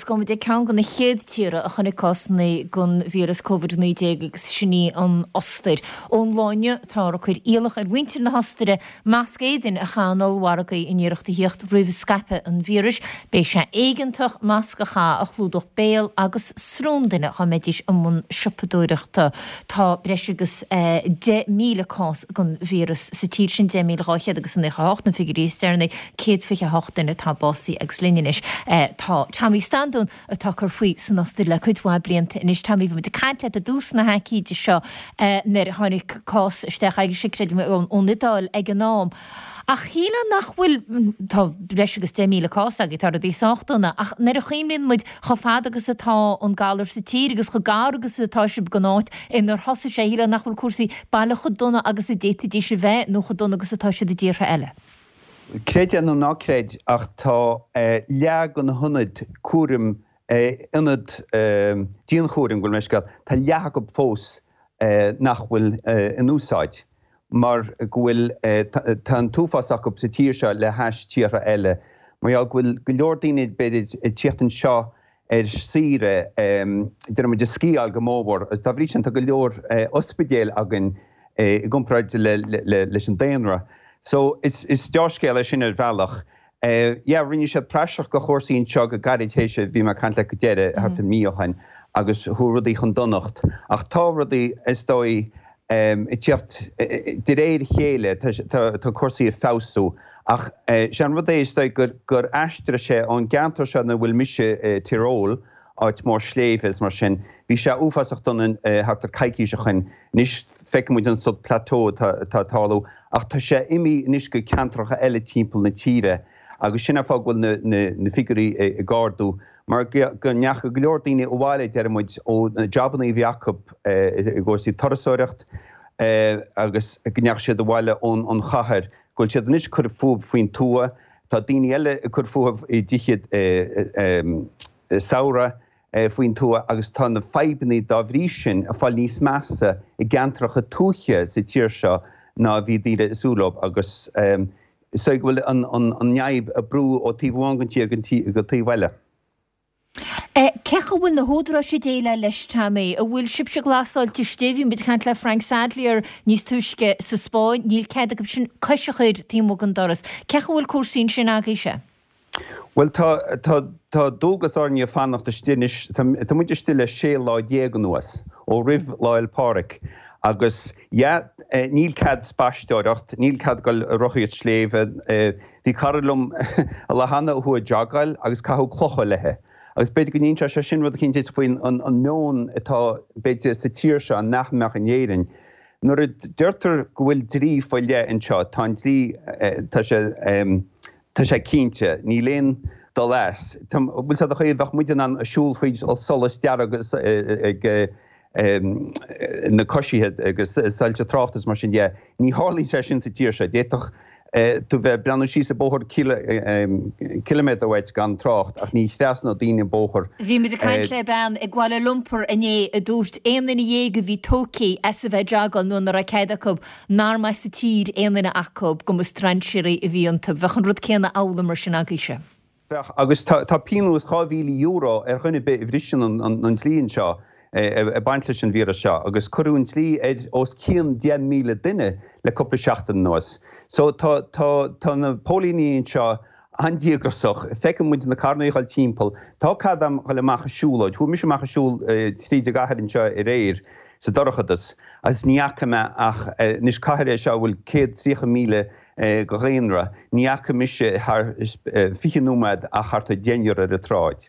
gabhfaidh muid ag ceann de na chéad tíortha a chonaic cásanna den víreas Covid-19 agus sin í an Ostair. Ón lá inniu táthar ag cur iallach ar mhuintir na hOstaire masc éadain a chaitheamh in ollmhargaí in iarracht a thíocht roimh scaipeadh an víris. Beidh sé éigeantach masc a chaitheamh a chlúdódh béal agus srón duine dá mbeidís i mbun siopadóireachta. Tá breis agus 10,000 cás den víreas sa tír sin, 10,200 agus 98 na figiúirí is deireanaí, 128 duine atá básaithe agus linn anois tá Tommy Standún atá ag cur faoi san Ostair le cuid mhaith blianta anois. Tommy, bhí muid ag caint leat i dtús na haicíde seo nuair a tháinig cás isteach agaibhse, creidim, ón Iodáil ag an am. Ach shílfeá nach bhfuil, tá breis agus 10,000 cás agaibh, tá rudaí sách dona, ach nuair a chuimhníonn muid chomh fada agus atá an galar sa tír agus chomh gar agus atá sibh don áit inar thosaigh sé, shílfeá nach bhfuil cúrsaí baileach chomh dona agus a d'fhéadfaidís a bheith nó chomh dona agus atá siad i dtíortha eile. Creid é nó ná creid ach tá leath de na hionaid cúraim, ionad dianchúraim, gabh mo leithscéal, tá leath acu fós nach bhfuil in úsáid. mar go bhfuil, tá an t-uafás acu sa tír seo le hais tíortha eile, mar gheall go bhfuil go leor daoine, b'fhéidir, ag tíocht anseo ar saoire, déarfaidh muid, ag sciáil go mórmhór, agus dá bhrí sin tá go leor ospidéil againn i gcomparáid leis an daonra. So, is deá-scéal é sin ar bhealach. Yeah, rinne siad praiseach de chúrsaí anseo go gairid théis a bhí mé ag caint leat go deireadh, thart ar mhí ó shin, agus chuaigh rudaí chun donacht. Ach tá rudaí, is dóigh, ag tíocht de réir a chéile, tá cúrsaí ag feabhsú. Ach sé an rud é, is dóigh, gur aistrigh sé ón gceantar seo ina bhfuil mise, Tyrol, áit mór sléibhe is mar sin. Bhí sé uafásach dona thart ar coicís ó shoin. Anois feiceann muid an sórt plateau atá ag tarlú ach tá sé imithe anois go ceantracha eile timpeall na tíre agus sin an fáth go bhfuil na figiúirí ag ardú mar go ndeachaigh go leor daoine abhaile deir muid ó na jabannaí a bhí acu i gcúrsaí turasóireacht agus go ndeachaigh siad abhaile ón chathair go bhfuil siad anois ag cur fúthu faoin tuath. Tá daoine eile ag cur fúthu i dtithe samhraidh faoin tuath agus tá na fadhbanna dá bhrí sin ag fáil níos measa i gceantracha tuaithe sa tír seo ná a bhí daoine ag súil leo agus is dóigh go bhfuil an fhadhb ag brú ó taobh amháin den tír go taobh eile. Cén chaoi a bhfuil na húdaráis ag déileáil leis, Tommy? An bhfuil sibhse glasáilte istigh? Bhí muid ag caint le Frank Sadlier níos túisce sa Spáinn. Níl cead acu sin cois a chur taobh amuigh den doras. Cén chaoi a bhfuil cúrsaí ansin agaibhse? Bhuel, tá, tá, tá dualgas orainne fanacht istigh anois. Tá, tá muid istigh le 16 lá anuas, ó roimh Lá 'le Pádraig. Agus, yeah, níl cead spaisteoireacht, níl cead dul ag rothaíocht sléibhe. Bhí cara liom an lá cheana a chuaigh ag jogáil agus caitheadh clocha i leith. Agus b'fhéidir go n-inseodh sé sin rud eicínt duit faoin an, an meon atá, b'fhéidir, sa tír seo nach mbeadh in Éirinn. Nuair a deirtear go bhfuil dlí faoi leith anseo, tá an dlí, tá sé, Tá sé cinnte, níl aon dul as. Bhfuil 's a'd an chaoi a bheadh muid in ann siúl fríd solas dearg ag na coisithe agus soilse tráchta is mar sin de. Ní tharlaíonn sé sin sa tír seo. D'fhéadfadh tú bheith ag breathnú síos an bóthar ciliméadar uait gan trácht ach ní thrasnódh daoine an bóthar. Bhí muid ag caint le bean i gKuala Lumpur inné a dúirt aon duine dhéag a bhí tógtha as a bheith ag jogáil nuair nach raibh cead acu nár mba as an tír aon duine acu, go mba strainséirí a bhí iontu. Bheadh an rud céanna amhlaidh mar sin agaibhse. Bheadh, agus tá pionós €2,000 ar dhuine ar bith a bhriseann an dlí anseo ag baint leis an víreas seo, agus cuireadh an dlí ar os cionn 10,000 duine le cúpla seachtain anuas. So tá, tá, tá na póilíní anseo an-díograiseach. Feiceann muid na carranna ag dul timpeall. Tá cead a'm dhul amach ag siúlóid. Chuaigh mise amach ag siúl tríd an gcathair anseo aréir sa dorchadas agus ní fhaca mé ach, anois cathair é seo a bhfuil 130,000 de dhaonra, ní fhaca mise thar 20 nóiméad ach thart ar deichniúr ar an tsráid.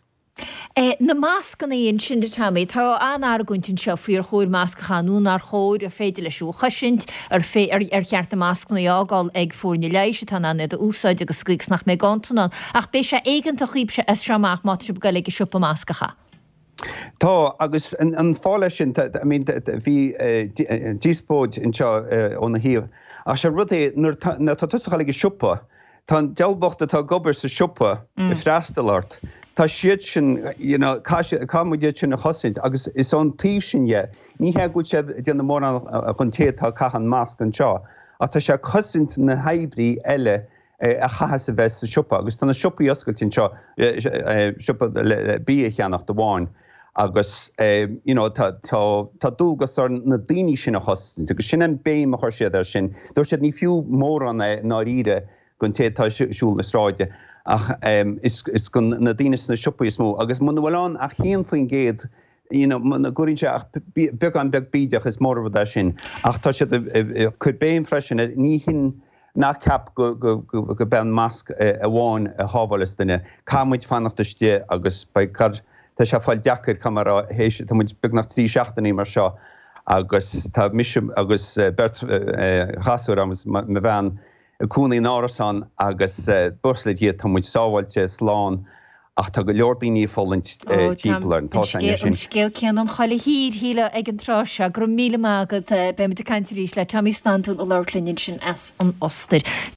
Na mascanna ansin, a Tommy, tá an-argóint anseo faoi ar chóir masc a chaitheamh nó nár chóir, ar féidir leis thú a chosaint, ar ar cheart na mascanna a fhágáil ag foirne leighis atá in ann iad a úsáid agus sa gcaoi is nach mbeidh ganntan ann. Ach beidh sé éigeantach dhaoibhse as seo amach má tá sibh ag dul ag an siopa masc a chaitheamh. Tá, agus an fáth leis sin, I mean, bhí díospóid anseo óna thaobh, ach sé rud é, nuair atá tusa ag dul ag an siopa, Tá an diabhal bocht atá ag obair sa siopa ag freastal ort, tá siad sin, you know, caithfidh muid iad sin a chosaint agus is ón taobh sin dhe, ní hé go bhfuil sé ag déanamh mórán don té atá ag caitheamh an masc anseo, ach tá sé ag cosaint na hoibrí eile. a chaitheas a bheith sa siopa agus tá na siopaí oscailte anseo, siopa le bia a cheannacht amháin agus you know tá tá tá dualgas orainn na daoine sin a chosaint agus sin an béim a chuir siad air sin. Dúirt siad ní fiú mórán é i ndáiríre don té atá ag siúl na sráide ach is is do na daoine sna siopaí is mó agus muna bhfuil ann ach 1% you know muna gcuireann sé ach beagán beag bídeach is mór an rud é sin ach tá siad ag cur béim freisin ar ní hin Ná ceap go gurb é an masc amháin a shábháileas duine. Caithfidh muid fanacht istigh agus beidh, tá sé ag fáil deacair, caithfidh mé a rá, théis, tá muid beagnach 3 seachtainí mar seo agus tá mise agus beirt ghasúr agus mo bhean ag cónaí in árasán agus buíochas le Dia tá muid sábháilte, slán Ach tá go leor daoine ag fulaingt timpeall orainn. Tá sé anois. An scéal céanna an chuile thír, shílfeá, ag an tráth seo. Go raibh míle maith agat. Beidh muid ag caint arís le Tommy Standún ag labhairt linn ansin as an Ostair.